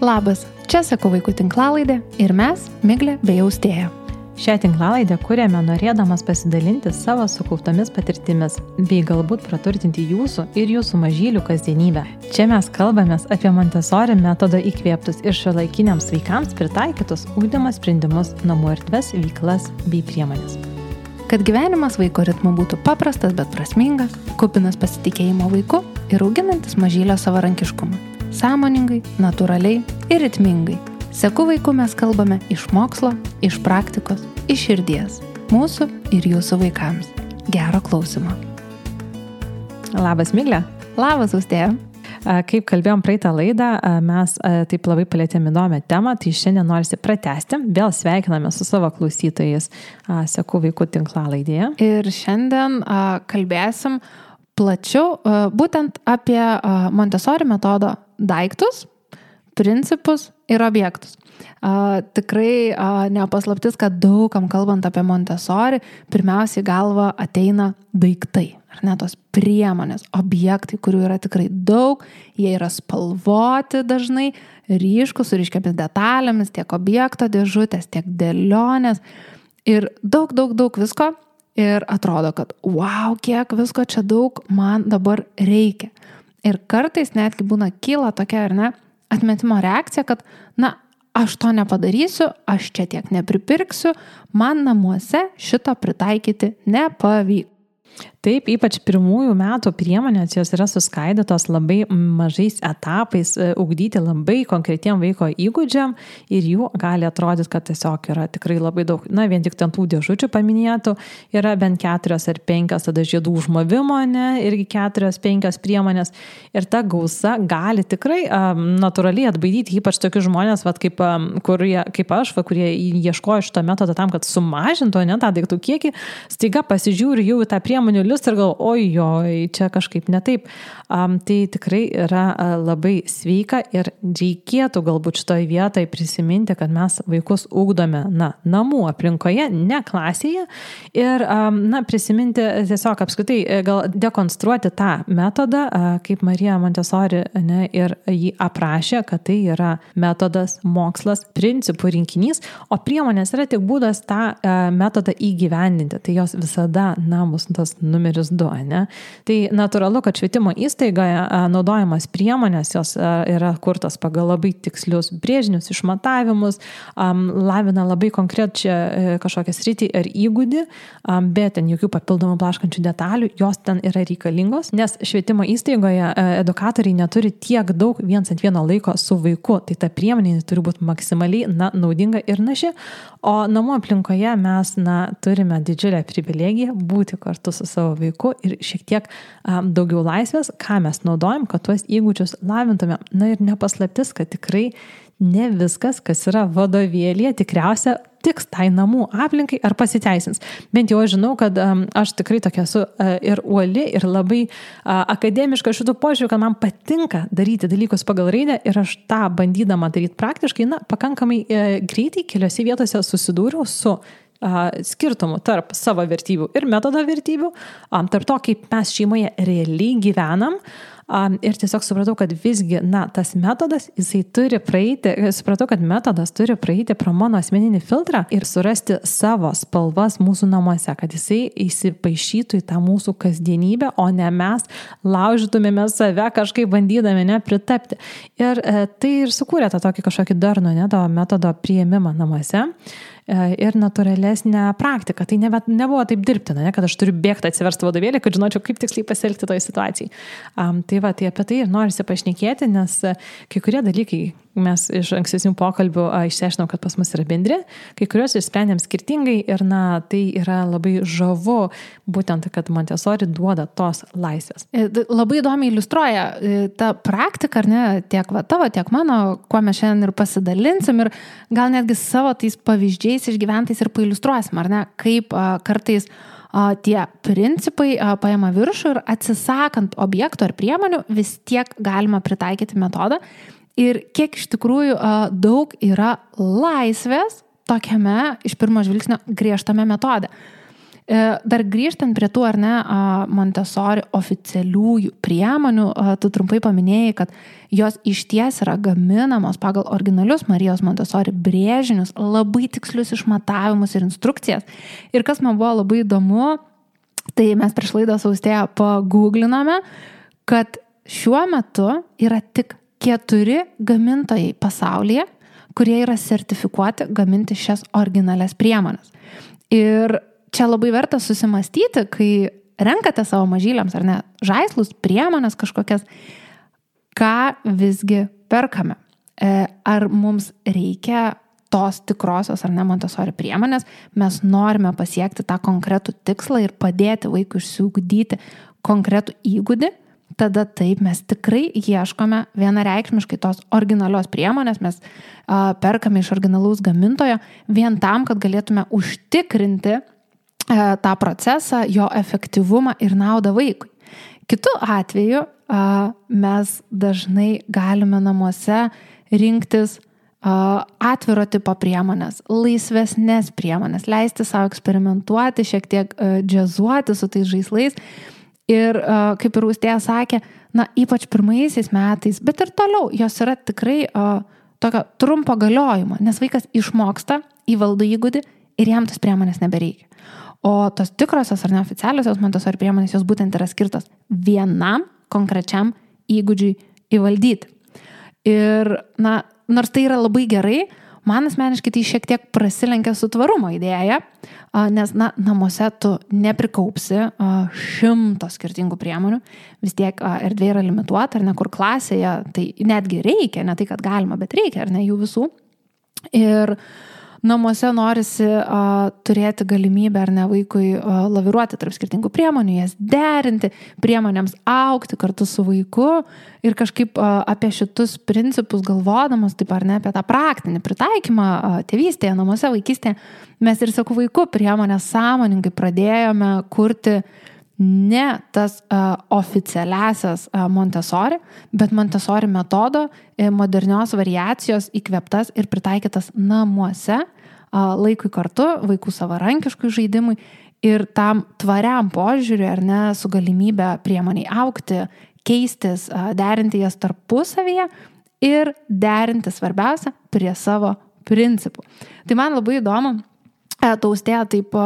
Labas, čia Sakau vaikų tinklalaidė ir mes, Miglė bei Austėja. Šią tinklalaidę kuriame norėdamas pasidalinti savo sukauptomis patirtimis, bei galbūt praturtinti jūsų ir jūsų mažylių kasdienybę. Čia mes kalbamės apie Montessori metodo įkvėptus ir šiuolaikiniams vaikams pritaikytus ugdymo sprendimus, namų erdves, veiklas bei priemonės. Kad gyvenimas vaiko ritmu būtų paprastas, bet prasmingas, kupinas pasitikėjimo vaiku ir auginantis mažylio savarankiškumą. Sąmoningai, natūraliai ir ritmingai. Sakau vaikų mes kalbame iš mokslo, iš praktikos, iš širdies. Mūsų ir jūsų vaikams. Gero klausimo. Labas, Miglė. Labas, Austėja. Kaip kalbėjom praeitą laidą, mes taip labai palėtėm įdomią temą, tai šiandien norisi pratęsti. Vėl sveikiname su savo klausytojais Sakau vaikų tinklalaidėje. Ir šiandien kalbėsim plačiau būtent apie Montessori metodo daiktus, principus ir objektus. Tikrai nepaslaptis, kad daugam kalbant apie Montessori, pirmiausiai galva ateina daiktai, ar ne, tos priemonės, objektai, kurių yra tikrai daug, jie yra spalvoti dažnai, ryškus, su ryškiamis detalėmis, tiek objekto dėžutės, tiek dėlionės ir daug visko ir atrodo, kad wow, kiek visko čia daug man dabar reikia. Ir kartais netgi būna kyla tokia, ar ne, atmetimo reakcija, kad, aš to nepadarysiu, aš čia tiek nepripirksiu, man namuose šito pritaikyti nepavyks. Taip, ypač pirmųjų metų priemonės, jos yra suskaidytos labai mažais etapais, ugdyti labai konkretiem vaiko įgūdžiam ir jų gali atrodyti, kad tiesiog yra tikrai labai daug. Vien tik ten tų dėžučių paminėtų yra bent 4 ar 5, tada žiedų užmovimo, irgi 4-5 priemonės. Ir ta gausa gali tikrai natūraliai atbaidyti, ypač tokius žmonės, kaip aš, kurie ieškojo šito metodo tam, kad sumažintų tą daiktų kiekį, staiga pasižiūri jau į tą priemonių liustą ir galvoju, ojoj, čia kažkaip ne taip. Tai tikrai yra labai sveika ir reikėtų galbūt šitoje vietoje prisiminti, kad mes vaikus ugdome namų aplinkoje, ne klasėje ir prisiminti tiesiog apskritai gal dekonstruoti tą metodą, kaip Marija Montessori ir jį aprašė, kad tai yra metodas, mokslas, principų rinkinys, o priemonės yra tik būdas tą metodą įgyvendinti. Tai jos visada bus tas numeris 2, ne? Tai natūralu, kad švietimo įstaigoje naudojamas priemonės, jos yra kurtos pagal labai tikslius brėžinius, išmatavimus, lavina labai konkrečią kažkokią sritį ar įgūdį, bet ten jokių papildomų blaškančių detalių, jos ten yra reikalingos, nes švietimo įstaigoje edukatoriai neturi tiek daug viens ant vieno laiko su vaiku, tai ta priemonė turi būti maksimaliai naudinga ir naši, o namų aplinkoje mes turime didžiulę privilegiją būti kartu su savo vaiku ir šiek tiek daugiau laisvės, ką mes naudojam, kad tuos įgūdžius lavintume. Ir nepaslaptis, kad tikrai ne viskas, kas yra vadovėlyje, tikriausia tiks tai namų aplinkai ar pasiteisins. Bent jau aš žinau, kad aš tikrai tokia esu ir uoli, ir labai akademiška šitų požiūrių, kad man patinka daryti dalykus pagal raidę ir aš tą bandydama daryti praktiškai, pakankamai greitai keliose vietose susidūriau su skirtumų tarp savo vertybių ir metodo vertybių, tarp to, kaip mes šeimoje realiai gyvenam. Ir tiesiog supratau, kad visgi, tas metodas, supratau, kad metodas turi praeiti pro mano asmeninį filtrą ir surasti savo spalvas mūsų namuose, kad jisai įsipaišytų į tą mūsų kasdienybę, o ne mes laužytumėme save kažkaip bandydami pritapti. Ir tai ir sukūrė tą tokį kažkokį darnų, to metodo priėmimą namuose. Ir natūralesnę praktiką. Tai nebuvo taip dirbtina, kad aš turiu bėgti atsiversti vadovėlį, kad žinočiau, kaip tiksliai pasielgti toje situacijai. Tai apie tai ir norisi pašnekėti, nes kai kurie dalykai mes iš ankstesnių pokalbių išsiaiškinom, kad pas mus yra bendri, kai kuriuos išsprendėm skirtingai ir tai yra labai žavu, būtent, kad Montessori duoda tos laisvės. Labai įdomiai iliustruoja tą praktiką, ar ne, tiek tavo, tiek mano, kuo mes šiandien ir pasidalinsim ir gal netgi savo tais pavyzdžiais išgyventais ir pailiustruosim, ar ne, kaip kartais tie principai paima viršų ir atsisakant objektų ar priemonių vis tiek galima pritaikyti metodą. Ir kiek iš tikrųjų daug yra laisvės tokiame iš pirmo žvilgsnio griežtame metode. Dar grįžtant prie tų, ar ne, Montessori oficialiųjų priemonių, tu trumpai paminėjai, kad jos išties yra gaminamos pagal originalius Marijos Montessori brėžinius, labai tikslius išmatavimus ir instrukcijas. Ir kas man buvo labai įdomu, tai mes prieš laidą su Austėja paguglinome, kad šiuo metu yra tik 4 gamintojai pasaulyje, kurie yra sertifikuoti gaminti šias originalias priemonės. Ir čia labai verta susimastyti, kai renkate savo mažyliams, ar ne, žaislus, priemonės kažkokias, ką visgi perkame. Ar mums reikia tos tikrosios, ar ne, Montessori priemonės, mes norime pasiekti tą konkretų tikslą ir padėti vaikui išsiugdyti konkretų įgūdį, tada taip mes tikrai ieškome vienareikšmiškai tos originalios priemonės, mes perkame iš originalaus gamintojo vien tam, kad galėtume užtikrinti tą procesą, jo efektyvumą ir naudą vaikui. Kitu atveju mes dažnai galime namuose rinktis atviro tipo priemonės, laisvesnės priemonės, leisti savo eksperimentuoti, šiek tiek džiazuoti su tais žaislais. Ir kaip ir Austėja sakė, na, ypač pirmaisiais metais, bet ir toliau, jos yra tikrai tokio trumpo galiojimo, nes vaikas išmoksta, įvaldo įgūdį ir jam tas priemonės nebereikia. O tos tikrosios ar neoficialiosios Montessori priemonės, jos būtent yra skirtos vienam konkrečiam įgūdžiui įvaldyti. Ir, na, nors tai yra labai gerai, man asmeniškai tai šiek tiek prasilenkia su tvarumo idėja, nes, na, namuose tu neprikaupsi 100 skirtingų priemonių, vis tiek erdvė yra limituota, ar ne, kur klasėje, tai netgi reikia, ne tai, kad galima, bet reikia, ar ne, jų visų. Ir namuose norisi turėti galimybę, ar ne, vaikui laviruoti tarp skirtingų priemonių, jas derinti, priemonėms augti kartu su vaiku ir kažkaip apie šitus principus galvodamas, taip ar ne, apie tą praktinį pritaikymą tėvystėje, namuose, vaikystėje, mes ir su vaiku priemonės sąmoningai pradėjome kurti ne tas oficialiasias Montessori, bet Montessori metodo modernios variacijos įkvėptas ir pritaikytas namuose, laikui kartu, vaikų savarankiškui žaidimui ir tam tvariam požiūriui, ar ne, su galimybė priemoniai augti, keistis, derinti jas tarpusavyje ir derinti svarbiausia prie savo principų. Tai man labai įdomu, Austėja taip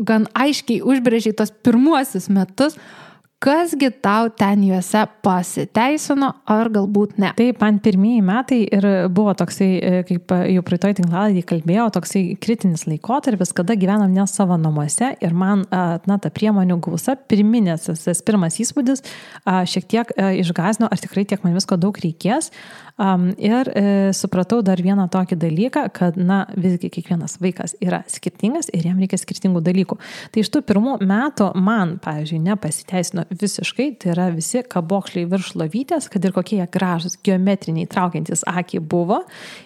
gan aiškiai užbrėžiai tos pirmuosius metus, kasgi tau ten juose pasiteisino, ar galbūt ne? Taip, man pirmieji metai ir buvo toksai, kaip jau praeitoj tinklalaidėje kalbėjau, toksai kritinis laikotarpis, kada gyvenam ne savo namuose ir man, na, ta priemonių gausa, pirminės, tas pirmas įspūdis šiek tiek išgąsdino, ar tikrai tiek man visko daug reikės. Ir supratau dar vieną tokį dalyką, kad, na, visgi kiekvienas vaikas yra skirtingas ir jam reikia skirtingų dalykų. Tai iš tų pirmų metų man, pavyzdžiui, nepasiteisino visiškai, tai yra visi kabokšliai virš lovytės, kad ir kokie jie gražus, geometriniai, traukiantis akį buvo,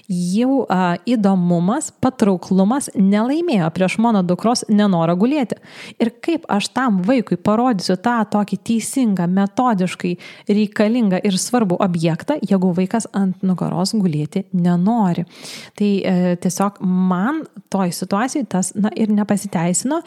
jau įdomumas, patrauklumas nelaimėjo prieš mano dukros nenorą gulėti. Ir kaip aš tam vaikui parodysiu tą tokį teisingą, metodiškai reikalingą ir svarbų objektą, jeigu vaikas ant nugaros gulėti nenori. Tai tiesiog man toj situacijai tas, na, ir nepasiteisino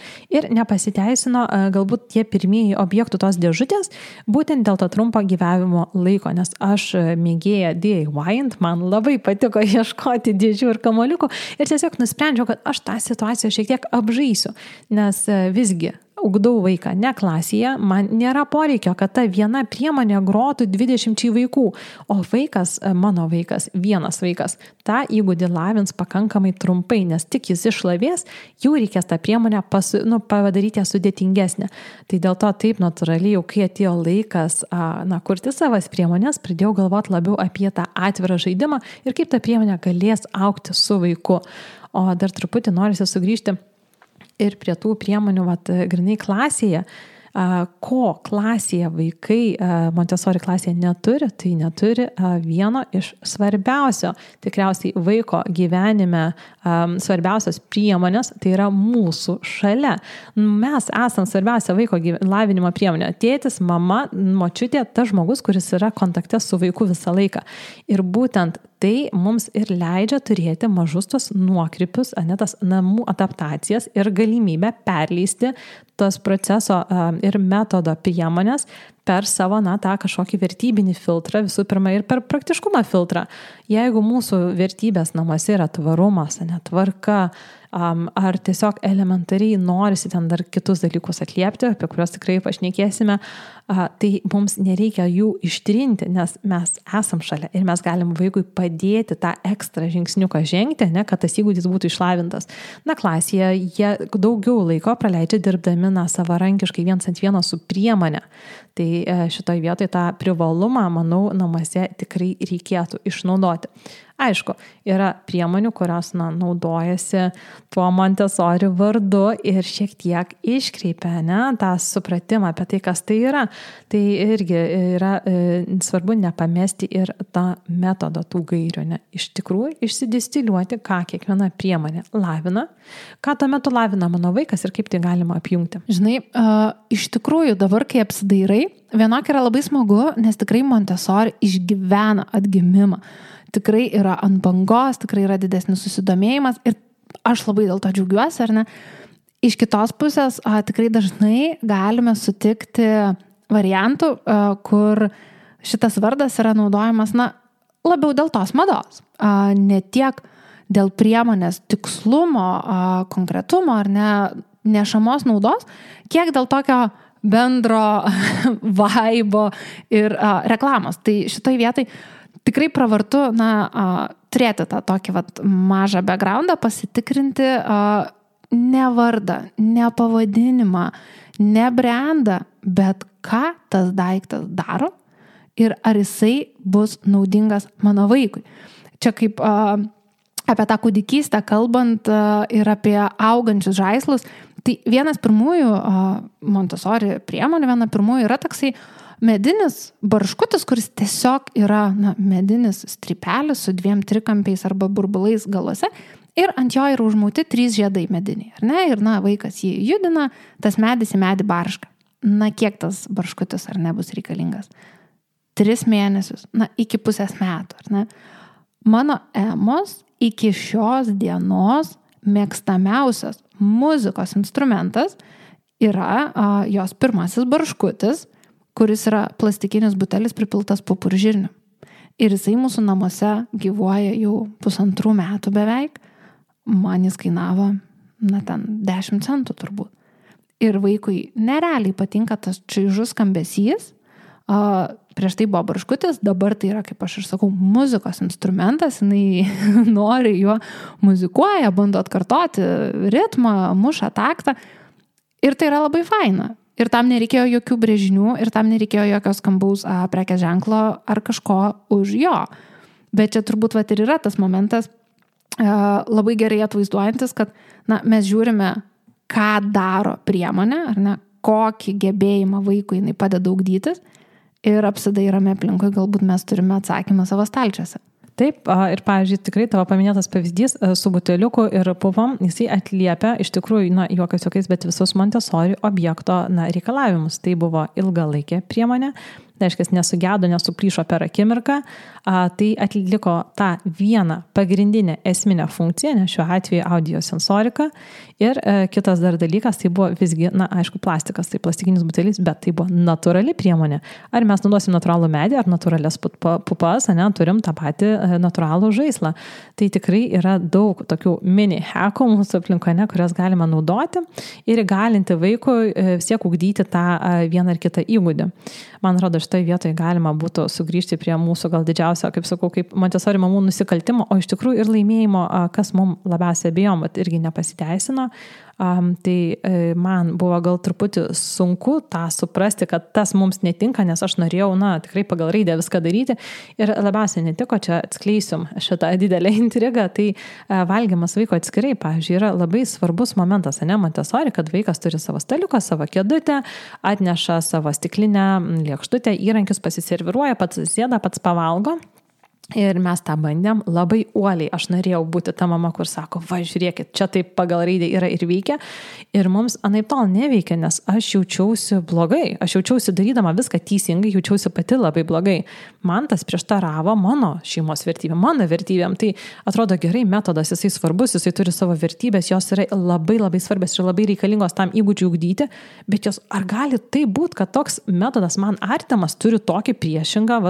galbūt tie pirmieji objektų tos dėžutės, būtent dėl to trumpo gyvavimo laiko, nes aš mėgėja DIY-int, man labai patiko ieškoti dėžių ir kamoliukų ir tiesiog nusprendžiau, kad aš tą situaciją šiek tiek apžaisiu, nes visgi ugdau vaiką ne klasėje, man nėra poreikio, kad ta viena priemonė grotų 20 vaikų, o vaikas, mano vaikas, vienas vaikas, tą įgūdį lavins pakankamai trumpai, nes tik jis išlavės, jau reikės tą priemonę padaryti sudėtingesnę. Tai dėl to taip natūraliai, jau kai atėjo laikas kurti savas priemonės, pradėjau galvoti labiau apie tą atvirą žaidimą ir kaip ta priemonė galės augti su vaiku. O dar truputį norisi sugrįžti ir prie tų priemonių, grinai klasėje, ko klasėje vaikai Montessori klasėje neturi, tai neturi vieno iš svarbiausio, tikriausiai vaiko gyvenime svarbiausios priemonės, tai yra mūsų šalia. Mes esam svarbiausia vaiko lavinimo priemonė. Tėtis, mama, močiutė, tas žmogus, kuris yra kontakte su vaiku visą laiką. Ir būtent tai mums ir leidžia turėti mažus tos nuokrypius, tas namų adaptacijas ir galimybę perleisti tos proceso ir metodo priemonės per savo, tą kažkokį vertybinį filtrą, visų pirma, ir per praktiškumą filtrą. Jeigu mūsų vertybės namuose yra tvarumas, tvarka, ar tiesiog elementariai norisi ten dar kitus dalykus atliepti, apie kuriuos tikrai pašnekėsime, tai mums nereikia jų ištrinti, nes mes esam šalia ir mes galim vaikui padėti tą ekstra žingsniuką žengti, kad tas įgūdis būtų išlavintas. Klasėje jie daugiau laiko praleidžia dirbdami savarankiškai viens ant vieno su priemonė. Tai šitoj vietoj tą privalumą, manau, namuose tikrai reikėtų išnaudoti. Aišku, yra priemonių, kurios naudojasi tuo Montessori vardu ir šiek tiek iškreipia tą supratimą apie tai, kas tai yra. Tai irgi yra svarbu nepamesti ir tą metodą tų gairių. Iš tikrųjų, išsidistiliuoti, ką kiekviena priemonė lavina, ką tuo metu lavina mano vaikas ir kaip tai galima apjungti. Žinai, iš tikrųjų dabar, kai apsidairai, vienok yra labai smagu, nes tikrai Montessori išgyvena atgimimą. Tikrai yra ant bangos, tikrai yra didesnis susidomėjimas ir aš labai dėl to džiaugiuosi, ar ne? Iš kitos pusės tikrai dažnai galime sutikti variantų, kur šitas vardas yra naudojamas, labiau dėl tos mados. Ne tiek dėl priemonės tikslumo, konkretumo ar ne, nešamos naudos, kiek dėl tokio bendro vaibo ir reklamos. Tai šitoj vietoj tikrai pravartu turėti tą tokį mažą backgroundą, pasitikrinti ne vardą, ne pavadinimą, ne brandą, bet ką tas daiktas daro ir ar jisai bus naudingas mano vaikui. Čia kaip apie tą kūdikystę kalbant ir apie augančius žaislus, tai vienas pirmųjų Montessori priemonių, viena pirmųjų yra toksai medinis barškutis, kuris tiesiog yra medinis strypelis su 2 trikampiais arba burbulais galuose ir ant jo yra užmauti 3 žiedai mediniai. Ar ne? Ir vaikas jį judina, tas medis į medį barška. Kiek tas barškutis ar ne bus reikalingas? 3 mėnesius, iki pusės metų. Ar ne? Mano Emos iki šios dienos mėgstamiausias muzikos instrumentas yra jos pirmasis barškutis, kuris yra plastikinis butelis pripiltas pupuržirnių. Ir jisai mūsų namuose gyvuoja jau 1,5 metų beveik. Man jis kainavo, 10 centų turbūt. Ir vaikui nerealiai patinka tas čaižus skambesys. Prieš tai buvo barškutis, dabar tai yra, kaip aš ir sakau, muzikos instrumentas. Jinai nori juo muzikuoja, bando atkartoti ritmą, muša taktą. Ir tai yra labai faina. Ir tam nereikėjo jokių brėžinių, ir tam nereikėjo jokios skambaus prekės ženklo ar kažko už jo. Bet čia turbūt ir yra tas momentas labai gerai atvaizduojantis, kad mes žiūrime, ką daro priemonė, ar ne, kokį gebėjimą vaikui jinai padeda ugdytis ir apsidairame aplinkui, galbūt mes turime atsakymą savo stalčiuose. Taip, ir pavyzdžiui, tikrai tavo paminėtas pavyzdys su buteliuku ir puvom, jisai atliepia iš tikrųjų, juokais, bet visus Montessori objekto reikalavimus. Tai buvo ilgalaikė priemonė, tai reiškia, nesugedo, nesuplyšo per akimirką, tai atliko tą vieną pagrindinę esminę funkciją, nes šiuo atveju audiosensoriką. Ir kitas dar dalykas, tai buvo visgi, aišku, plastikas, tai plastikinis butelis, bet tai buvo natūrali priemonė. Ar mes naudosim natūralų medį, ar natūralias pupas, turim tą patį natūralų žaislą. Tai tikrai yra daug tokių mini hackų mūsų aplinkoje, kurias galima naudoti ir įgalinti vaikui vis tiek ugdyti tą vieną ar kitą įgūdį. Man atrodo, šitoje vietoje galima būtų sugrįžti prie mūsų gal didžiausio, kaip sakau, kaip Montessori mamų nusikaltimo, o iš tikrųjų ir laimėjimo, kas mums labiausiai abejom, bet irgi nepasiteisino. Tai man buvo gal truputį sunku tą suprasti, kad tas mums netinka, nes aš norėjau, tikrai pagal raidę viską daryti ir labiausiai netiko, čia atskleisiu šitą didelę intrigą, tai valgymas vaiko atskirai, pavyzdžiui, yra labai svarbus momentas, Montessori, kad vaikas turi savo staliuką, savo kėdutę, atneša savo stiklinę lėkštutę, įrankius pasiserviruoja, pats sėda, pats pavalgo. Ir mes tą bandėm labai uoliai. Aš norėjau būti ta mama, kur sako, va, žiūrėkit, čia taip pagal raidę yra ir veikia. Ir mums anaip tol neveikia, nes aš jaučiausi blogai. Aš jaučiausi darydama viską teisingai, jaučiausi pati labai blogai. Man tas prieštaravo mano šeimos vertybėm, mano vertybėm. Tai atrodo gerai, metodas, jisai svarbus, jisai turi savo vertybės, jos yra labai labai svarbios ir labai reikalingos tam įgūdžiui ugdyti. Bet jos, ar gali tai būti, kad toks metodas man artimas turi tokį priešingą,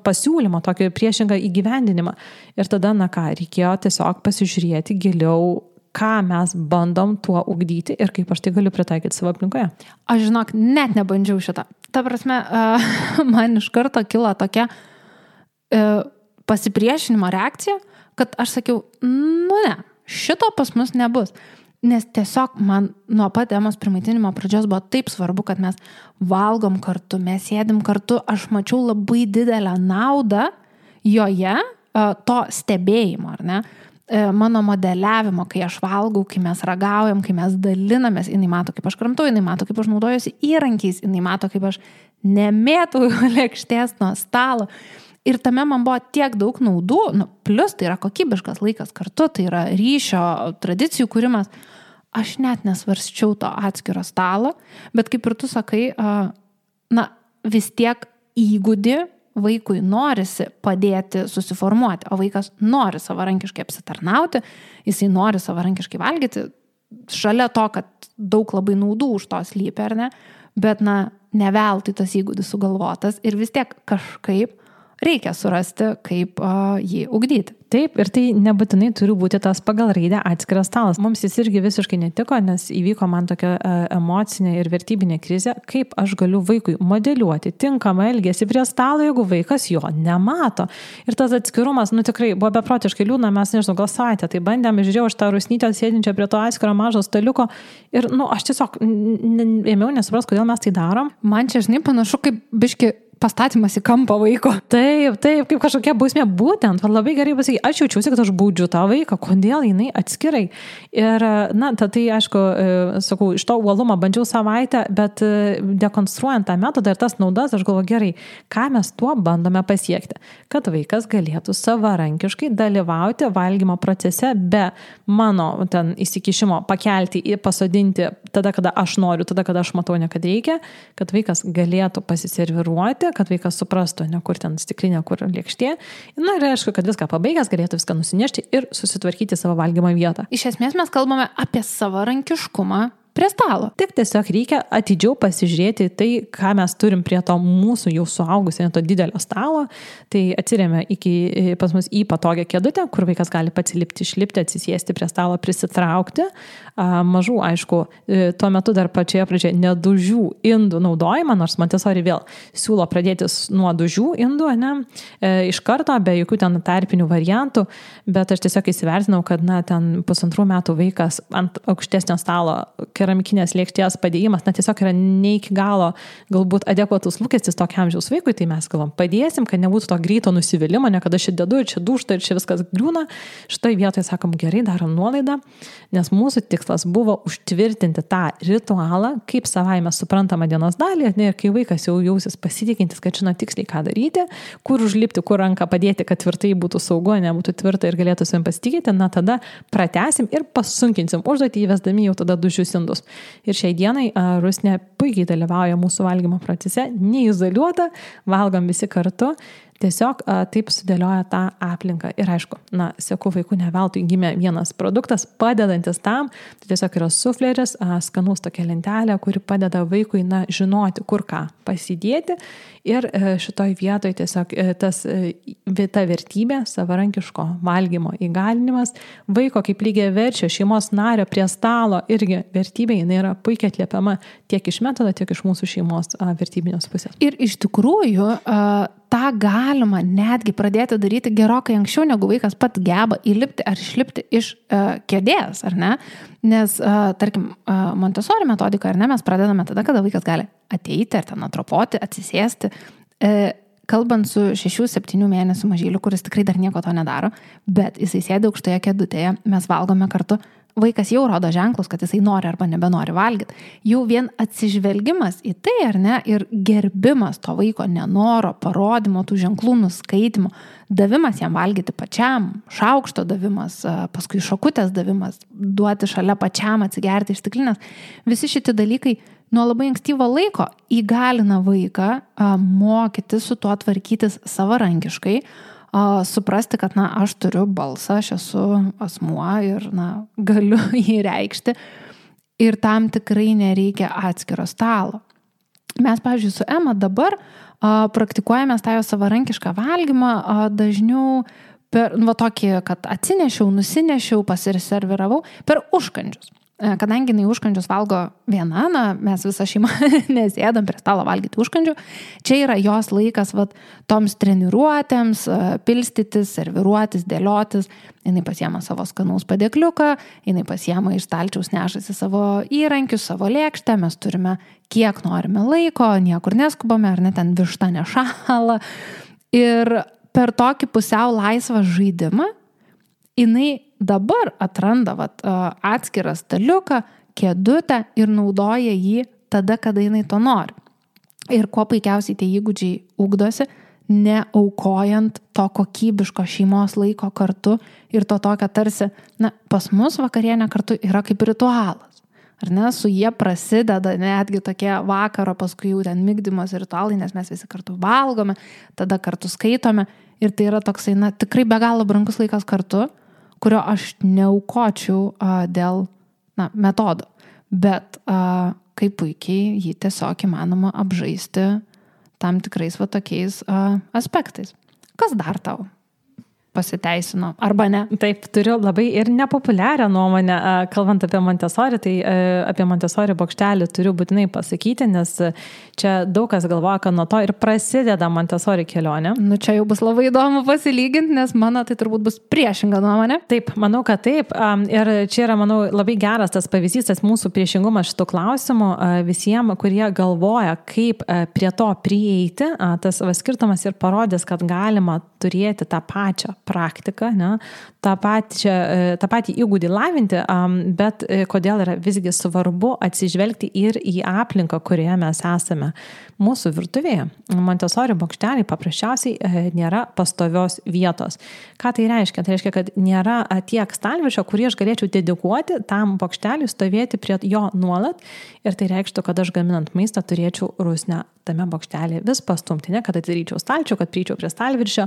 pasiūlymą, tokį priešingą įgyvendinimą. Ir tada, reikėjo tiesiog pasižiūrėti giliau, ką mes bandom tuo ugdyti ir kaip aš tai galiu pritaikyti savo aplinkoje. Aš žinok, net nebandžiau šitą. Ta prasme, man iš karto kilo tokia pasipriešinimo reakcija, kad aš sakiau, ne, šito pas mus nebus. Nes tiesiog man nuo pat Emos primaitinimo pradžios buvo taip svarbu, kad mes valgom kartu, mes sėdim kartu. Aš mačiau labai didelę naudą joje to stebėjimo, ar ne? Mano modeliavimo, kai aš valgau, kai mes ragaujam, kai mes dalinamės, jinai mato, kaip aš kramtau, jinai mato, kaip aš naudojuosi įrankiais, jinai mato, kaip aš nemėtau lėkštės nuo stalo. Ir tame man buvo tiek daug naudų, plus tai yra kokybiškas laikas kartu, tai yra ryšio, tradicijų kūrimas. Aš net nesvarsčiau to atskiro stalo, bet kaip ir tu sakai, vis tiek įgūdį vaikui norisi padėti susiformuoti, o vaikas nori savarankiškai apsitarnauti, jisai nori savarankiškai valgyti, šalia to, kad daug labai naudų už to slypi, ar ne, bet ne veltui tas įgūdis sugalvotas ir vis tiek kažkaip reikia surasti, kaip jį ugdyti. Taip, ir tai nebūtinai turi būti tas pagal raidę atskiras stalas. Mums jis irgi visiškai netiko, nes įvyko man tokia emocinė ir vertybinė krizė, kaip aš galiu vaikui modeliuoti tinkamą elgesį prie stalo, jeigu vaikas jo nemato. Ir tas atskirumas, tikrai buvo beprotiškai liūdna, mes nežinau, gal savaitę, tai bandėm, žiūrėjau aš tą rusnytę sėdinčią prie to atskiro mažo staliuko ir, aš tiesiog ėmiau nesupras, kodėl mes tai darom. Man čia, žinai, panašu kaip biški pastatymas į kampą vaiko. Taip, kaip kažkokia bausmė, būtent, labai gerai pasakyti, aš jaučiausi, kad aš baudžiu tą vaiką, kodėl jinai atskirai. Ir, tai aišku, sakau, iš to uolumo bandžiau savaitę, bet dekonstruojant tą metodą ir tas naudas, aš galvoju, gerai, ką mes tuo bandome pasiekti, kad vaikas galėtų savarankiškai dalyvauti valgymo procese be mano ten įsikišimo, pakelti ir pasodinti tada, kada aš noriu, tada, kada aš matau, ne kad reikia, kad vaikas galėtų pasiserviruoti, kad vaikas suprastų, ne kur ten stiklinė, kur lėkštė. Ir aišku, kad viską pabaigęs galėtų viską nusinešti ir susitvarkyti savo valgymo vietą. Iš esmės mes kalbame apie savarankiškumą prie stalo. Tik tiesiog reikia atidžiau pasižiūrėti tai, ką mes turim prie to mūsų jau suaugusio, to didelio stalo. Tai atsiremia pas mus į patogią kėdutę, kur vaikas gali pats lipti, išlipti, atsisėsti prie stalo, prisitraukti. Mažų, aišku, tuo metu dar pačioje pradžioje nedužių indų naudojimą, nors Montessori vėl siūlo pradėti nuo dužių indų, iš karto, be jokių ten tarpinių variantų, bet aš tiesiog įsivertinau, kad ten 1,5 metų vaikas ant aukštesnio stalo keramikinės lėkštės padėjimas, tiesiog yra ne iki galo galbūt adekvatus lūkestis tokiam amžiaus vaikui, tai mes galvom, padėsim, kad nebūtų to greito nusivylimo, ne kada aš dedu ir čia dūžta ir čia viskas griūna. Šitoje vietoje sakom, gerai, darom nuolaidą, nes mūsų tikslas buvo užtvirtinti tą ritualą, kaip savaime suprantama dienos dalį, ir kai vaikas jau jausis pasitikintis, kad žino tiksliai, ką daryti, kur užlipti, kur ranką padėti, kad tvirtai būtų saugu, nebūtų tvirta ir galėtų savim pasitikėti, tada pratęsim ir pasunkinsim užduotį įvesdami jau tada dužius indus. Ir šiai dienai Rusnė puikiai dalyvauja mūsų valgymo procese, neizoliuota, valgom visi kartu. Tiesiog taip sudėlioja tą aplinką. Ir aišku, seku vaikų neveltui gimė vienas produktas, padedantis tam, tai tiesiog yra sufleris, skanus tokia lentelė, kuri padeda vaikui žinoti, kur ką pasidėti. Ir šitoj vietoj tiesiog ta vertybė, savarankiško valgymo įgalinimas, vaiko kaip lygiai verčia šeimos nario prie stalo irgi vertybė, jinai yra puikiai atliepiama tiek iš metodo, tiek iš mūsų šeimos vertybinės pusės. Ir iš tikrųjų, tą galima netgi pradėti daryti gerokai anksčiau, negu vaikas pats geba įlipti ar išlipti iš kėdės, ar ne? Nes, tarkim, Montessori metodika, ar ne, mes pradedame tada, kada vaikas gali ateiti ar ten atropoti, atsisėsti. Kalbant su 6-7 mėnesių mažyliu, kuris tikrai dar nieko to nedaro, bet jisai sėdi aukštoje kėdutėje, mes valgome kartu, vaikas jau rodo ženklus, kad jisai nori arba nebenori valgyti. Jau vien atsižvelgimas į tai, ar ne, ir gerbimas to vaiko nenoro, parodymo, tų ženklų nuskaitimo, davimas jam valgyti pačiam, šaukšto davimas, paskui šakutės davimas, duoti šalia pačiam atsigerti iš stiklinės. Visi šitie dalykai nuo labai ankstyvo laiko įgalina vaiką mokyti su tuo tvarkytis savarankiškai, suprasti, kad, aš turiu balsą, aš esu asmuo ir, galiu jį reikšti ir tam tikrai nereikia atskiro stalo. Mes, pavyzdžiui, su Ema dabar praktikuojame tą jo savarankišką valgymą dažniau per, tokį, kad atsinešiau, nusinešiau, pasiserviravau per užkandžius. Kadangi jinai užkandžius valgo viena, mes visą šeimą nesėdam prie stalo valgyti užkandžių, čia yra jos laikas toms treniruotėms, pilstytis, serviruotis, dėliotis, jinai pasiema savo skanaus padėkliuką, jinai pasiema iš stalčiaus nešasi savo įrankius, savo lėkštę, mes turime kiek norime laiko, niekur neskubame, ar ne ten višta nešąla. Ir per tokį pusiau laisvą žaidimą jinai dabar atranda atskirą staliuką, kėdutę ir naudoja jį tada, kada jinai to nori. Ir kuo puikiausiai tie įgūdžiai ugdosi, neaukojant to kokybiško šeimos laiko kartu ir to tokio tarsi, pas mus vakarienė kartu yra kaip ritualas. Ar ne, su jie prasideda netgi tokie vakaro, paskui jau ten migdymos ritualai, nes mes visi kartu valgome, tada kartu skaitome ir tai yra toksai, tikrai be galo brangus laikas kartu, kurio aš neaukočiau dėl metodo. Bet kaip puikiai jį tiesiog įmanoma apžaisti tam tikrais tokiais aspektais. Kas dar tau pasiteisino, arba ne? Taip, turiu labai ir nepopuliarią nuomonę, kalbant apie Montessori, tai apie Montessori bokštelį turiu būtinai pasakyti, nes čia daug kas galvoja, kad nuo to ir prasideda Montessori kelionė. Čia jau bus labai įdomu pasilyginti, nes mano tai turbūt bus priešinga nuomonė. Taip, manau, kad taip. Ir čia yra, manau, labai geras tas pavyzdys, tas mūsų priešingumas šitų klausimų visiems, kurie galvoja, kaip prie to prieiti. Tas skirtumas ir parodys, kad galima turėti tą pačią praktiką, tą patį įgūdį lavinti, bet kodėl yra visgi svarbu atsižvelgti ir į aplinką, kurioje mes esame. Mūsų virtuvėje Montessori bokšteliai paprasčiausiai nėra pastovios vietos. Ką tai reiškia? Tai reiškia, kad nėra tiek stalviršio, kurį aš galėčiau dedikuoti tam bokšteliui stovėti prie jo nuolat ir tai reikštų, kad aš gaminant maistą turėčiau rusnę tame bokštelį vis pastumti, kad atidaryčiau stalčių, kad prieičiau prie stalviršio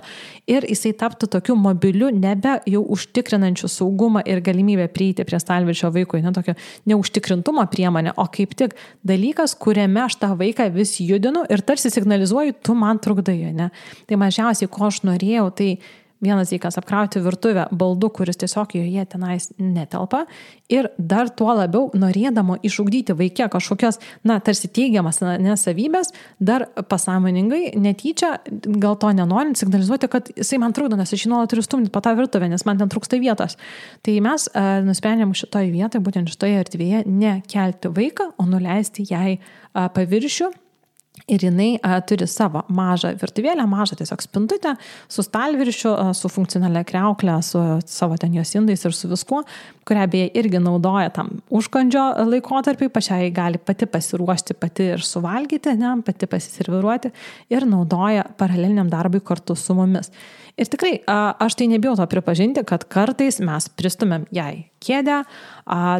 ir jisai taptų tokiu mobiliu, nebe jau užtikrinančiu saugumą ir galimybę prieiti prie stalviršio vaikui, tokio neužtikrintumo priemonė, o kaip tik dalykas, kuriame aš tą vaiką vis judinu ir tarsi signalizuoju, tu man trukdai, Tai mažiausiai, ko aš norėjau, tai vienas dalykas apkrauti virtuvę baldu, kuris tiesiog joje tenais netelpa ir dar tuo labiau norėdama išugdyti vaikę kažkokios, tarsi teigiamas nesavybės, dar pasąmoningai, netyčia, gal to nenorint, signalizuoti, kad jisai man trukdo, nes aš jį nuolat turiu stumdyti po tą virtuvę, nes man ten trūksta vietos. Tai mes nusprendėm šitoje vietoje, būtent šitoje erdvėje, nekelti vaiką, o nuleisti jai paviršių. Ir jinai turi savo mažą virtuvėlę, mažą tiesiog spintutę, su stalviršiu, su funkcionalia kriauklė, su savo ten jos indais ir su viskuo, kurią beje irgi naudoja tam užkandžio laikotarpiai, pačiai gali pati pasiruošti, pati ir suvalgyti, pati pasiserviruoti ir naudoja paraleliniam darbui kartu su mumis. Ir tikrai, aš tai nebijau to pripažinti, kad kartais mes pristumėm jai kėdę,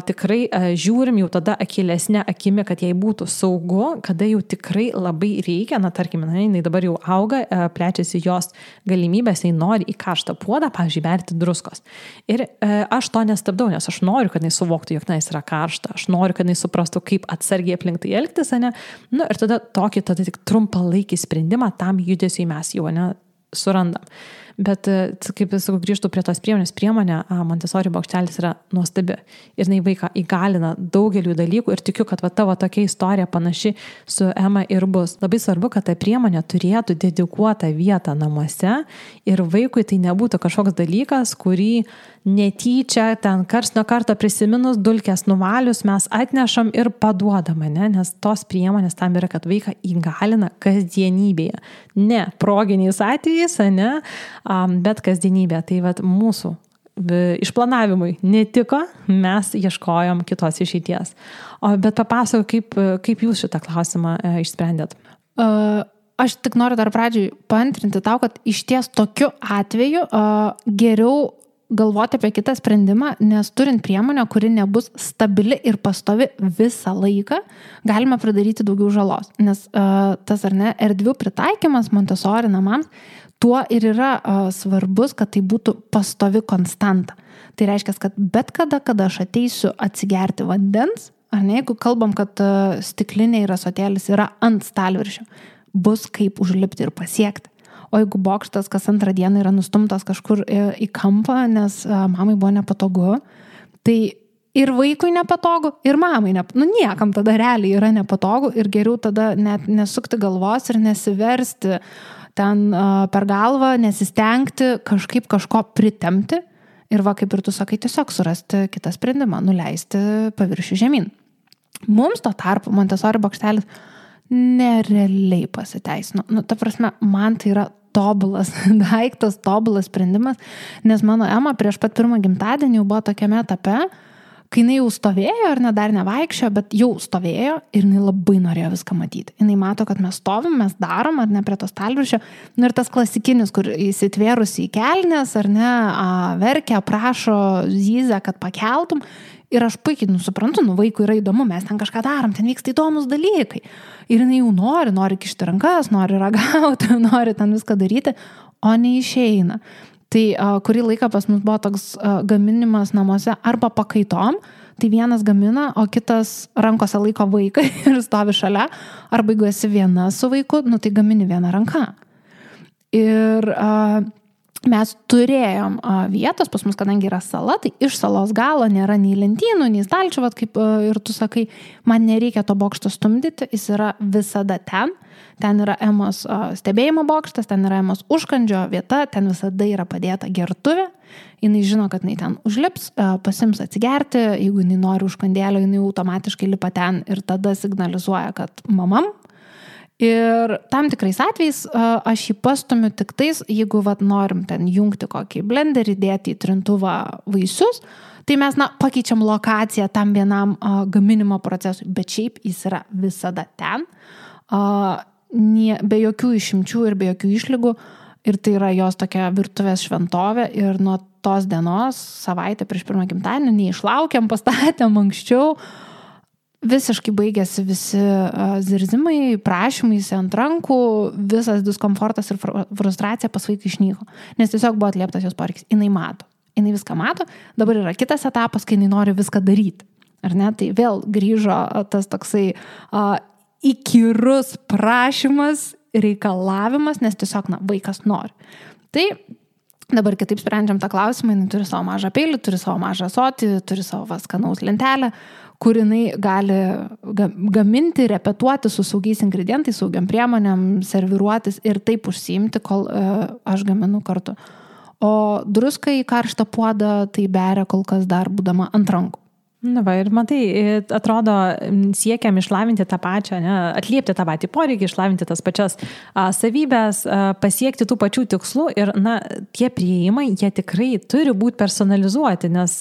tikrai žiūrim jau tada akylesnė akimi, kad jai būtų saugu, kada jau tikrai labai reikia, tarkim, jinai dabar jau auga, plečiasi jos galimybės, jinai nori į karštą puodą, pavyzdžiui, berti druskos. Ir aš to nestabdau, nes aš noriu, kad jinai suvoktų, jog jis yra karšta, aš noriu, kad jinai suprastų, kaip atsargiai aplink tai elgtis, ir tada tik trumpalaikį sprendimą tam judesiui mes jau surandam. Bet, kaip sakau, grįžtų prie tos priemonė, Montessori bokštelis yra nuostabi. Ir jinai vaiką įgalina daugelių dalykų ir tikiu, kad tavo tokia istorija panaši su Ema ir bus. Labai svarbu, kad ta priemonė turėtų dedikuotą vietą namuose ir vaikui tai nebūtų kažkoks dalykas, kurį netyčia ten karts nuo karto prisiminus, dulkės nuvalius mes atnešam ir paduodame, nes tos priemonės tam yra, kad vaiką įgalina kasdienybėje. Ne proginiais atvejais, bet kasdienybė. Tai mūsų išplanavimui netiko, mes ieškojom kitos išeities. Bet papasakok, kaip jūs šitą klausimą išsprendėt? Aš tik noriu dar pradžiai paantrinti tau, kad iš ties tokiu atveju geriau galvoti apie kitą sprendimą, nes turint priemonę, kuri nebus stabili ir pastovi visą laiką, galima pridaryti daugiau žalos. Nes tas ar ne, erdvių pritaikymas Montessori namams, tuo ir yra svarbus, kad tai būtų pastovi konstanta. Tai reiškia, kad bet kada aš ateisiu atsigerti vandens, ar ne, jeigu kalbam, kad stiklinė ir ąsotėlis yra ant stalviršio, bus kaip užlipti ir pasiekti. O jeigu bokštas kas antrą dieną yra nustumtas kažkur į kampą, nes mamai buvo nepatogu, tai ir vaikui nepatogu, ir mamai niekam tada realiai yra nepatogu ir geriau tada net nesukti galvos ir nesiversti ten per galvą, nesistengti kažkaip kažko pritemti ir va, kaip ir tu sakai, tiesiog surasti kitą sprendimą, nuleisti paviršių žemyn. Mums to tarpu Montessori bokštelis nerealiai pasiteisino. Ta prasme, man tai yra tobulas daiktas, tobulas sprendimas, nes mano Ema prieš pat pirmą gimtadienį jau buvo tokiame etape, kai jinai jau stovėjo, ar ne, dar nevaikščiojo, bet jau stovėjo ir jinai labai norėjo viską matyti. Jinai mato, kad mes stovim, mes darom, ar ne, prie to stalviršio. Ir tas klasikinis, kur įsitvėrusi į kelnes, ar ne, verkia, prašo, zyzia, kad pakeltum. Ir aš puikiai suprantu, vaikui yra įdomu, mes ten kažką darom, ten vyksta įdomus dalykai. Ir jinai jau nori kišti rankas, nori ragauti, nori ten viską daryti, o neišeina. Tai kurį laiką pas mus buvo toks gaminimas namuose arba pakaitom, tai vienas gamina, o kitas rankose laiko vaiką ir stovi šalia, arba jeigu esi viena su vaiku, tai gamini vieną ranką. Ir mes turėjom vietos, pas mus, kadangi yra sala, tai iš salos galo nėra nei lentynų, nei stalčių, kaip ir tu sakai, man nereikia to bokšto stumdyti, jis yra visada ten. Ten yra Emos stebėjimo bokštas, ten yra Emos užkandžio vieta, ten visada yra padėta gertuvė. Jinai žino, kad jinai ten užlips, pasims atsigerti, jeigu jinai nori užkandėlio, jinai automatiškai lipa ten ir tada signalizuoja, kad mamam. Ir tam tikrais atvejais aš jį pastumiu tik tais, jeigu norim ten jungti kokį blenderį, dėti į trintuvą vaisius, tai mes pakeičiam lokaciją tam vienam gaminimo procesui, bet šiaip jis yra visada ten, be jokių išimčių ir be jokių išlygų, ir tai yra jos tokia virtuvės šventovė ir nuo tos dienos, savaitę prieš pirmą gimtadienį, neišlaukėm, pastatėm anksčiau, visiškai baigėsi visi zirzimai, prašymais ant rankų, visas diskomfortas ir frustracija pas vaiką išnyko, nes tiesiog buvo atlieptas jos poreikis. Jinai mato, jinai viską mato, dabar yra kitas etapas, kai jinai nori viską daryti. Ar ne? Tai vėl grįžo tas toksai įkyrus prašymas, reikalavimas, nes tiesiog vaikas nori. Tai dabar kitaip sprendžiam tą klausimą, jinai turi savo mažą peilį, turi savo mažą ąsotį, turi savo skanaus lentelę, kur jinai gali gaminti, repetuoti su saugiais ingredientais, saugiam priemonėm, serviruotis ir taip užsiimti, kol aš gaminu kartu. O druską į karštą puodą tai beria kol kas dar būdama ant rankų. Na va, ir matai, atrodo, siekiam išlavinti tą pačią, ne, atliepti tą patį poreikį, išlavinti tas pačias savybės, pasiekti tų pačių tikslų ir, tie priėjimai, jie tikrai turi būti personalizuoti, nes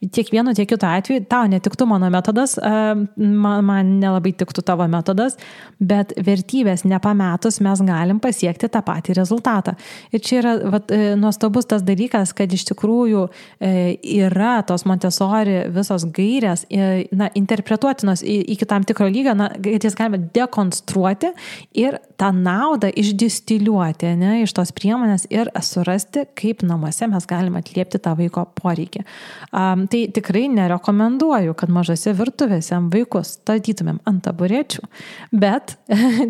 tiek vienu, tiek kitu atveju tau netiktų mano metodas, man nelabai tiktų tavo metodas, bet vertybės nepametus mes galim pasiekti tą patį rezultatą. Ir čia yra nuostabus tas dalykas, kad iš tikrųjų yra tos Montessori visos gairės, interpretuotinos iki tam tikro lygio, kad jas galime dekonstruoti ir tą naudą išdistiliuoti, iš tos priemonės ir surasti, kaip namuose mes galime atliepti tą vaiko poreikį. Tai tikrai nerekomenduoju, kad mažose virtuvėse vaikus statytumėm ant taburečių, bet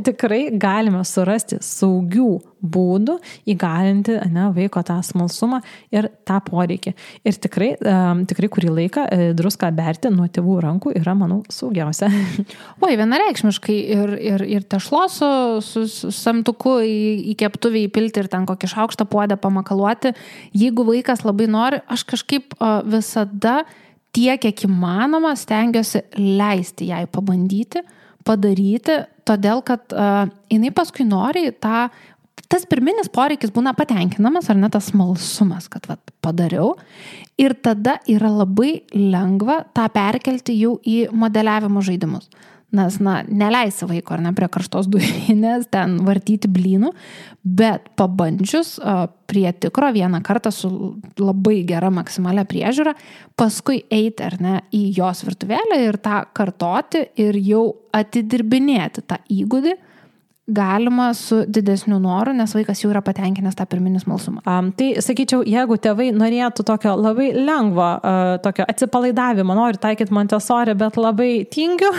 tikrai galime surasti saugių būdų įgalinti vaiko tą smalsumą ir tą poreikį. Ir tikrai kurį laiką druską berti nuo tėvų rankų yra, manau, saugiausia. Oi, vienareikšmiškai ir tešlos su samtuku į keptuvį įpilti ir ten kokį šaukštą puodę pamakaluoti. Jeigu vaikas labai nori, aš kažkaip visada tiek, kiek įmanoma, stengiuosi leisti jai pabandyti, padaryti, todėl, kad jinai paskui nori tą tas pirminis poreikis būna patenkinamas, ar ne tas smalsumas, kad padariau. Ir tada yra labai lengva tą perkelti jau į modeliavimo žaidimus. Nes, neleisi vaiko, ar ne, prie karštos dujinės, ten vartyti blynų, bet pabandžius prie tikro vieną kartą su labai gera maksimalia priežiūra, paskui eiti, ar ne, į jos virtuvėlę ir tą kartoti ir jau atidirbinėti tą įgūdį, galima su didesniu noru, nes vaikas jau yra patenkinęs tą pirminį smalsumą. Tai sakyčiau, jeigu tėvai norėtų tokio labai lengvo, tokio atsipalaidavimo, nori taikyti Montessori, bet labai tingiu,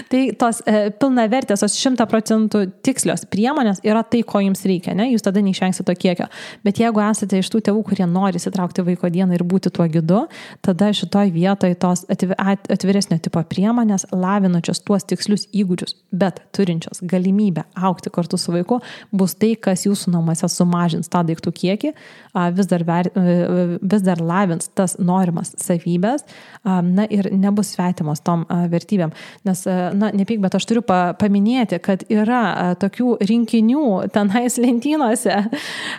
tai tos pilnavertės, tos 100% tikslios priemonės yra tai, ko jums reikia, ne? Jūs tada neišvengsite to kiekio. Bet jeigu esate iš tų tėvų, kurie nori įsitraukti vaiko dieną ir būti tuo gidu, tada šitoj vietoje tos atviresnio tipo priemonės, lavinančios tuos tikslius įgūdžius, bet turinčios galimybę augti kartu su vaiku, bus tai, kas jūsų namuose sumažins tą daiktų kiekį, vis dar lavins tas norimas savybės, ir nebus svetimos tom vertybėm. Nes, nepyk, bet aš turiu paminėti, kad yra tokių rinkinių tenais lentynose.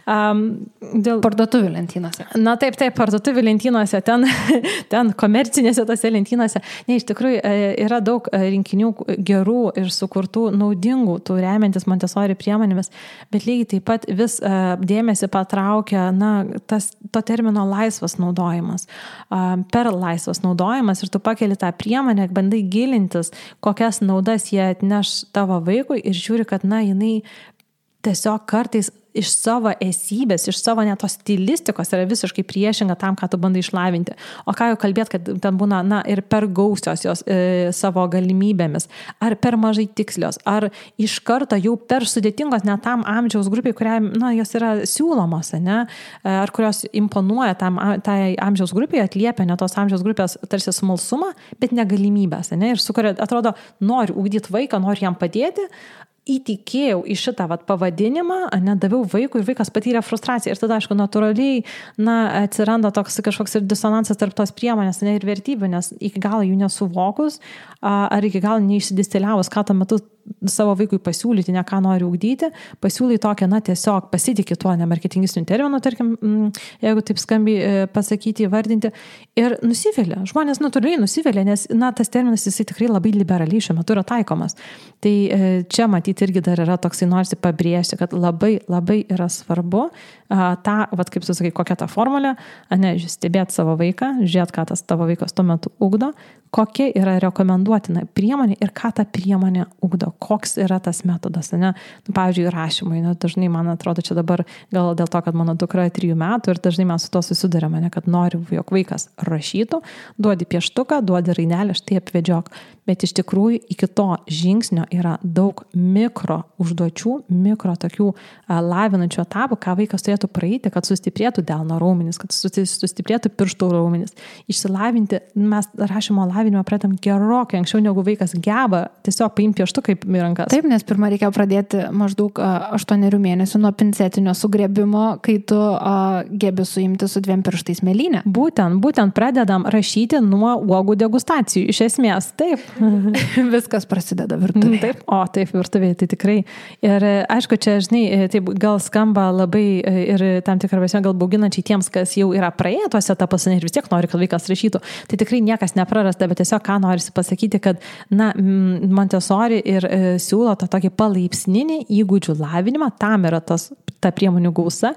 Parduotuvių lentynose. Taip, parduotuvių lentynose, ten komercinėse tose lentynose. Ne, iš tikrųjų yra daug rinkinių gerų ir sukurtų naudingų, tų remiantis Montessori priemonėmis, bet lygiai taip pat vis dėmesį patraukia to termino laisvas naudojimas. Per laisvas naudojimas ir tu pakeli tą priemonę, bandai gilintis, kokias naudas jie atneš tavo vaikui ir žiūri, kad jinai tiesiog kartais iš savo esybės, iš savo net tos stilistikos yra visiškai priešinga tam, ką tu bandai išlavinti. O ką jau kalbėt, kad ten būna, ir per gausios jos savo galimybėmis, ar per mažai tikslios, ar iš karto jau per sudėtingos net tam amžiaus grupiai, kuriai, jos yra siūlomos, ne? Ar kurios imponuoja tai amžiaus grupiai, atliepia ne tos amžiaus grupės tarsi smalsumą, bet negalimybės, ne? Ir sukuria, atrodo, nori ugdyti vaiką, nori jam padėti, įtikėjau į šitą pavadinimą, daviau vaikui ir vaikas patyrė frustraciją. Ir tada, aišku, natūraliai atsiranda toks kažkoks ir disonansas tarp tos priemonės ir vertybių, nes iki galo jų nesuvokus ar iki galo neišsidistiliavus, ką tuo metu savo vaikui pasiūlyti, ne ką nori ugdyti, pasiūlai tokią, tiesiog pasitikė tuo nemarketingistiniu terminu, tarkim, jeigu taip skambiai pasakyti, įvardinti, ir nusivėlė. Žmonės natūraliai nusivėlė, nes, tas terminas jisai tikrai labai liberaliai šiuo metu yra taikomas. Tai čia matyti irgi dar yra toksai, norisi pabrėžti, kad labai, labai yra svarbu tą, kaip tu sakai, kokia ta formulė, stebėti savo vaiką, žiūrėti, ką tas tavo vaikas tuo metu ugdo, kokia yra rekomenduotina priemonė ir ką ta priemonė ugdo, koks yra tas metodas, ne? Pavyzdžiui, rašymai, dažnai, man atrodo, čia dabar gal dėl to, kad mano dukra 3 metų ir dažnai mes su to susidurėme, kad noriu, jog vaikas rašytų, duodi pieštuką, duodi rainelę, štai apvedžiok. Bet iš tikrųjų iki to žingsnio yra daug mikro užduočių, mikro tokių lavinančių etapų, ką vaikas turėtų praeiti, kad sustiprėtų delno raumenis, kad sustiprėtų pirštų raumenis. Išsilavinti, mes rašymo lavinimą pradedam gerokai anksčiau, negu vaikas geba tiesiog paimti pieštuką į rankas. Taip, nes pirmą reikėjo pradėti maždaug 8 mėnesių nuo pincetinio sugriebimo, kai tu gebi suimti su 2 pirštais mėlynę. Būtent pradedam rašyti nuo uogų degustacijų. Iš esmės, taip. Viskas prasideda virtuvėje. Taip, virtuvėje, tai tikrai. Ir aišku, čia, žinai, taip gal skamba labai ir tam tikrą prasme gal bauginančiai tiems, kas jau yra praėję tuose etapuose ir vis tiek nori, kad vaikas rašytų. Tai tikrai niekas neprarasta, bet tiesiog ką norisi pasakyti, kad, Montessori ir siūlo tą tokį palaipsninį įgūdžių lavinimą, tam yra ta priemonių gausa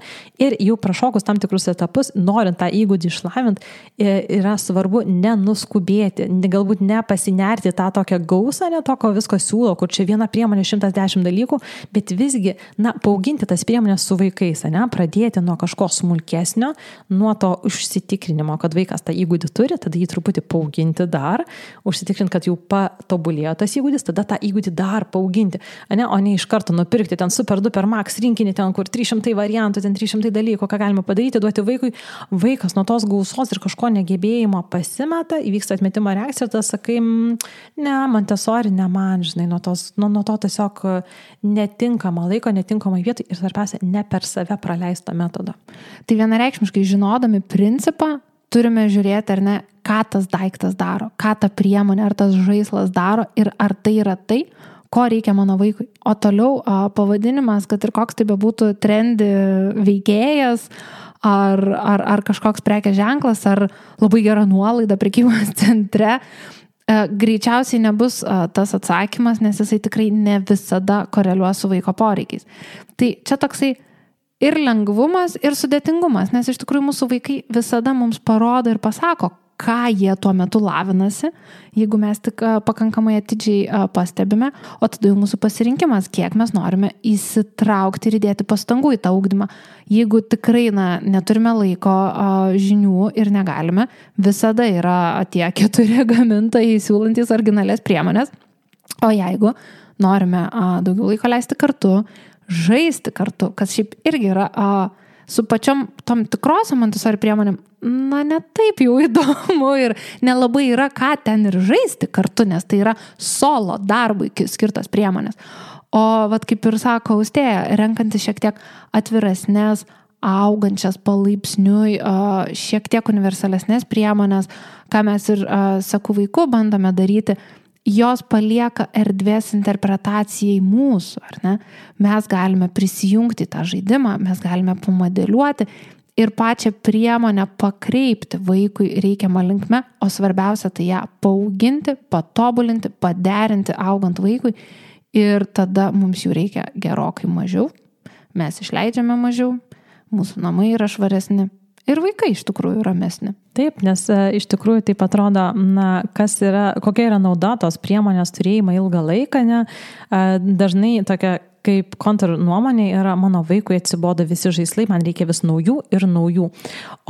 ir jau prašokus tam tikrus etapus, norint tą įgūdį išlavinti, yra svarbu nenuskubėti, galbūt nepasinerti tą tokią gausą, ne to, ko visko siūlo, kur čia viena priemonė 110 dalykų, bet visgi, paauginti tas priemonės su vaikais, pradėti nuo kažko smulkesnio, nuo to užsitikrinimo, kad vaikas tą įgūdį turi, tada jį truputį paauginti dar, užsitikrinti, kad jau patobulėjo tas įgūdis, tada tą įgūdį dar paauginti, o ne iš karto nupirkti ten super duper max rinkinį, ten kur 300 variantų, ten 300 dalykų, ką galima padaryti, duoti vaikui. Vaikas nuo tos gausos ir kažko negebėjimo pasimeta, įvyksta atmetimo reakcija ir tada sakai, ne, Montessori ne man, žinai, nuo to tiesiog netinkama laiko, netinkamai vietai ir svarbiausia, ne per save praleistą metodą. Tai vienareikšmiškai žinodami principą, turime žiūrėti, ar ne, ką tas daiktas daro, ką ta priemonė, ar tas žaislas daro ir ar tai yra tai, ko reikia mano vaikui. O toliau pavadinimas, kad ir koks tai bebūtų trendi veikėjas, ar kažkoks prekės ženklas, ar labai gera nuolaida prekybos centre, greičiausiai nebus tas atsakymas, nes jisai tikrai ne visada koreliuos su vaiko poreikiais. Tai čia toksai ir lengvumas, ir sudėtingumas, nes iš tikrųjų mūsų vaikai visada mums parodo ir pasako, ką jie tuo metu lavinasi, jeigu mes tik pakankamai atidžiai pastebime, o tada jau mūsų pasirinkimas, kiek mes norime įsitraukti ir įdėti pastangų į tą ugdymą. Jeigu tikrai neturime laiko, žinių ir negalime, visada yra tie 4 gamintojai siūlantys originalias priemonės, o jeigu norime daugiau laiko leisti kartu, žaisti kartu, kas šiaip irgi yra su pačiom tom tikrosiom Montessori priemonėm, ne taip jau įdomu ir nelabai yra ką ten ir žaisti kartu, nes tai yra solo darbui skirtos priemonės. O vat kaip ir sako Austėja, renkantis šiek tiek atviresnės, augančias palaipsniui, šiek tiek universalesnės priemonės, ką mes ir sakau vaiku bandome daryti, jos palieka erdvės interpretacijai mūsų, ar ne? Mes galime prisijungti tą žaidimą, mes galime pamodeliuoti ir pačią priemonę pakreipti vaikui reikiamą linkme, o svarbiausia tai ją paauginti, patobulinti, paderinti augant vaikui ir tada mums jų reikia gerokai mažiau, mes išleidžiame mažiau, mūsų namai yra švaresni. Ir vaikai iš tikrųjų ramesni. Taip, nes iš tikrųjų taip atrodo, kokia yra nauda tos priemonės turėjimą ilgą laiką, ne? Dažnai tokia kaip kontra nuomonė yra, mano vaikui atsibodo visi žaislai, man reikia vis naujų ir naujų.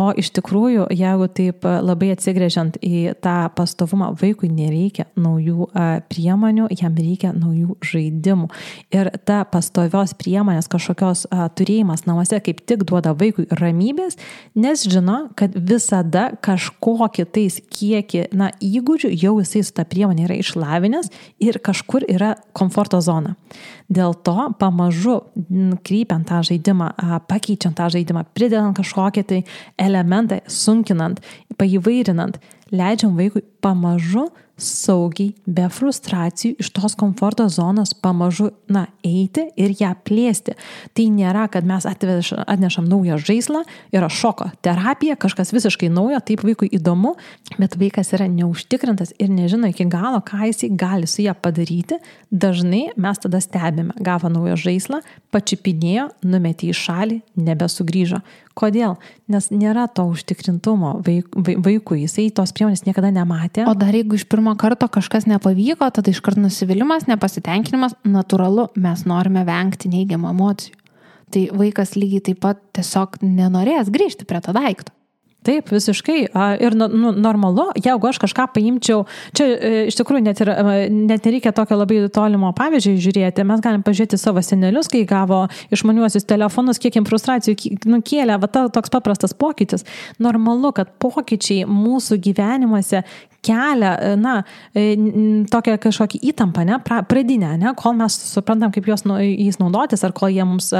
O iš tikrųjų, jeigu taip labai atsigręžiant į tą pastovumą, vaikui nereikia naujų priemonių, jam reikia naujų žaidimų. Ir ta pastovios priemonės kažkokios turėjimas namuose kaip tik duoda vaikui ramybės, nes žino, kad visada kažkokį tais kiekį įgūdžių jau jisai su ta priemonė yra išlavinęs ir kažkur yra komforto zona. Dėl to pamažu krypiant tą žaidimą, pakeičiant tą žaidimą, pridedant kažkokią tai elementą, sunkinant, paįvairinant, leidžiam vaikui pamažu saugiai, be frustracijų iš tos komforto zonos pamažu eiti ir ją plėsti. Tai nėra, kad mes atnešam naują žaislą, yra šoko terapija, kažkas visiškai naujo, taip vaikui įdomu, bet vaikas yra neužtikrintas ir nežino iki galo, ką jisai gali su ją padaryti. Dažnai mes tada stebime, gavo naują žaislą, pačipinėjo, numetė į šalį, nebesugrįžo. Kodėl? Nes nėra to užtikrintumo vaikui, jisai tos priemonės niekada nematė. O dar jeigu iš pirmo karto kažkas nepavyko, tada iškart nusivylimas, nepasitenkinimas, natūralu, mes norime vengti neigiamų emocijų. Tai vaikas lygiai taip pat tiesiog nenorės grįžti prie to daikto. Taip, visiškai. Ir normalu, jeigu aš kažką paimčiau, čia iš tikrųjų net nereikia tokio labai tolimo pavyzdžiui žiūrėti, mes galim pažiūrėti savo senelius, kai gavo išmaniuosius telefonus, kiek jiems frustracijų kėlė, toks paprastas pokytis. Normalu, kad pokyčiai mūsų gyvenimuose kelia, tokią kažkokį įtampą, pradinę, kol mes suprantam, kaip jais naudotis, ar kol jie mums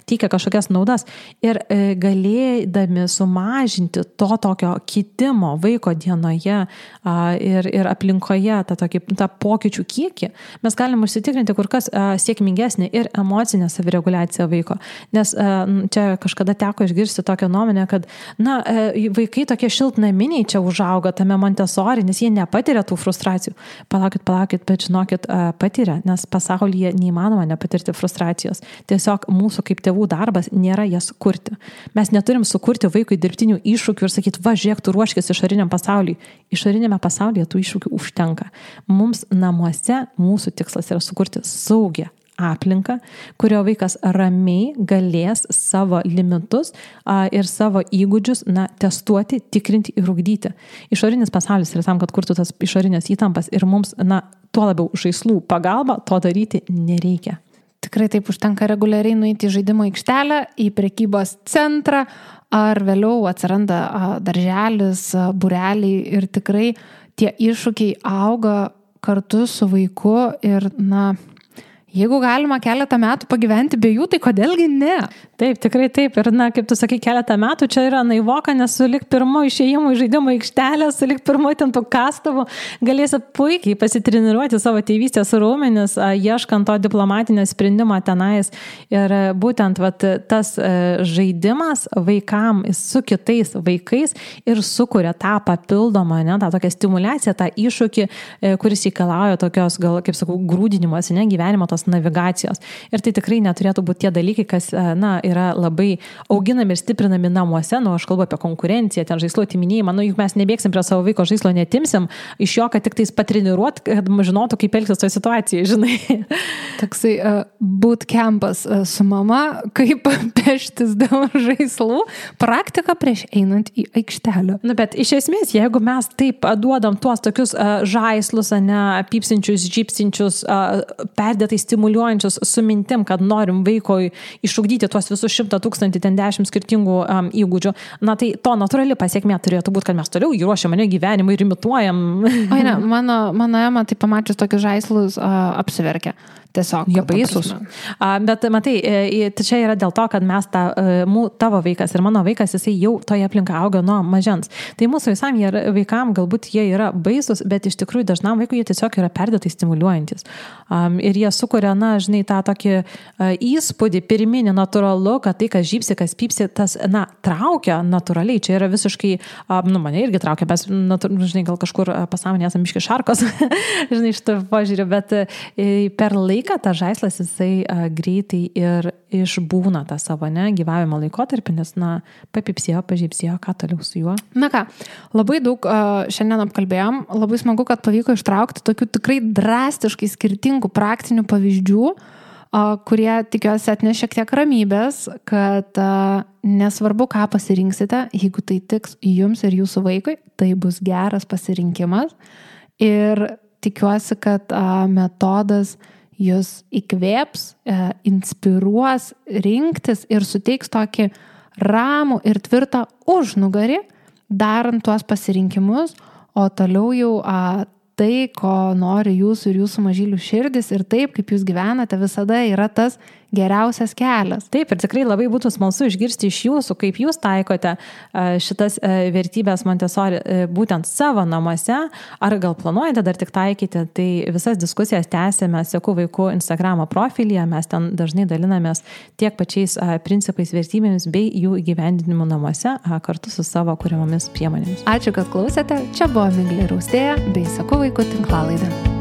teikia kažkokias naudas. Ir galėdami sumažinti to tokio kitimo vaiko dienoje ir aplinkoje, tą pokyčių kiekį, mes galim užsitikrinti kur kas sėkmingesnį ir emocinę savireguliaciją vaiko. Nes čia kažkada teko išgirsti tokią nuomonę, kad vaikai tokie šiltnaminiai čia užauga tame Montessori, nes jie nepatiria tų frustracijų. Palaukit, bet žinokit, patiria, nes pasaulyje neįmanoma nepatirti frustracijos. Tiesiog mūsų kaip tėvų darbas nėra jas kurti. Mes neturim sukurti vaikui dirbtinių iššūkių ir sakyti, žiūrėk, tu ruoškis išoriniam pasauliui. Išorinėme pasaulyje tų iššūkių užtenka. Mums namuose mūsų tikslas yra sukurti saugią aplinką, kurio vaikas ramiai galės savo limitus ir savo įgūdžius testuoti, tikrinti ir ugdyti. Išorinis pasaulis yra tam, kad kurtų tas išorinės įtampas ir mums, tuo labiau žaislų pagalba to daryti nereikia. Tikrai taip užtenka reguliariai nueiti į žaidimo aikštelę, į prekybos centrą, ar vėliau atsiranda darželis, būreliai ir tikrai tie iššūkiai auga kartu su vaiku ir Jeigu galima keletą metų pagyventi be jų, tai kodėlgi ne? Taip, tikrai taip. Ir, kaip tu sakai, keletą metų čia yra naivoka, nes sulik pirmo išėjimo į žaidimo aikštelę, sulik pirmo ten tų kastovų, galėsi puikiai pasitreniruoti savo tėvystės raumenis, ieškant to diplomatinio sprendimo tenais. Ir būtent tas žaidimas vaikams su kitais vaikais ir sukuria tą papildomą, tą tokią stimulaciją, tą iššūkį, kuris reikalauja tokios, gal, kaip sakau, grūdinimas, gyvenimo tos navigacijos. Ir tai tikrai neturėtų būti tie dalykai, kas, yra labai auginami ir stiprinami namuose. Aš kalbu apie konkurenciją, ten žaislo atiminėjimą. Juk mes nebėgsim prie savo vaiko žaislo, netimsim iš jo, kad tik tais patreniruot, kad žinotų, kaip elgtis toje situacijoje, žinai. Toksai bootcampas su mama, kaip peštis dėl žaislų, praktika prieš einant į aikštelę. Bet iš esmės, jeigu mes taip duodam tuos tokius žaislus, pypsinčius, žypsinčius, perdėtai stimuliuojančius su mintim, kad norim vaikoj išugdyti tuos visus 100 000, ten 10 skirtingų įgūdžių, tai to natūrali pasiekmė turėtų būti, kad mes toliau jį ruošiam gyvenimui ir imituojam. O ne, mano Ema tai pamačius tokius žaislus apsiverkia. Tiesiog. Jie baisus. Bet matai, čia yra dėl to, kad mes tavo vaikas ir mano vaikas, jisai jau toje aplinkoje auga nuo mažens. Tai mūsų vaikam galbūt jie yra baisus, bet iš tikrųjų dažnam vaikui jie tiesiog yra perdėtai stimuliuojantis. Ir jie sukuria, žinai, tą tokį įspūdį pirminį natūralu, kad tai, kas žypsi, kas pypsi, tas, traukia natūraliai. Čia yra visiškai, mane irgi traukia, mes, žinai, gal kažkur pasąmonėje esame biški šarkos, žinai, šitą požiūrį, bet per laiką tas žaislas jisai greitai ir išbūna tą savo gyvavimo laikotarpį, nes papipsėjo, pažypsėjo, ką toliau su juo. Ką, labai daug šiandien apkalbėjom, labai smagu, kad pavyko ištraukti tokių tikrai drastiškai skirtingų praktinių pavyzdžių, kurie tikiuosi atneš šiek tiek ramybės, kad nesvarbu, ką pasirinksite, jeigu tai tiks jums ir jūsų vaikui, tai bus geras pasirinkimas ir tikiuosi, kad metodas jūs įkvėps, inspiruos rinktis ir suteiks tokį ramų ir tvirtą užnugarį, darant tuos pasirinkimus, o toliau jau tai, ko nori jūsų ir jūsų mažylių širdis ir taip, kaip jūs gyvenate, visada yra tas geriausias kelias. Taip, ir tikrai labai būtų smalsu išgirsti iš jūsų, kaip jūs taikote šitas vertybės Montessori būtent savo namuose, ar gal planuojate dar tik taikyti, tai visas diskusijas tęsėme Seku vaikų Instagramo profilyje, mes ten dažnai dalinamės tiek pačiais principais, vertybėmis bei jų įgyvendinimu namuose kartu su savo kuriamomis priemonėmis. Ačiū, kad klausėte. Čia buvo Miglė Raustėja bei Seku vaikų tinklalaidė.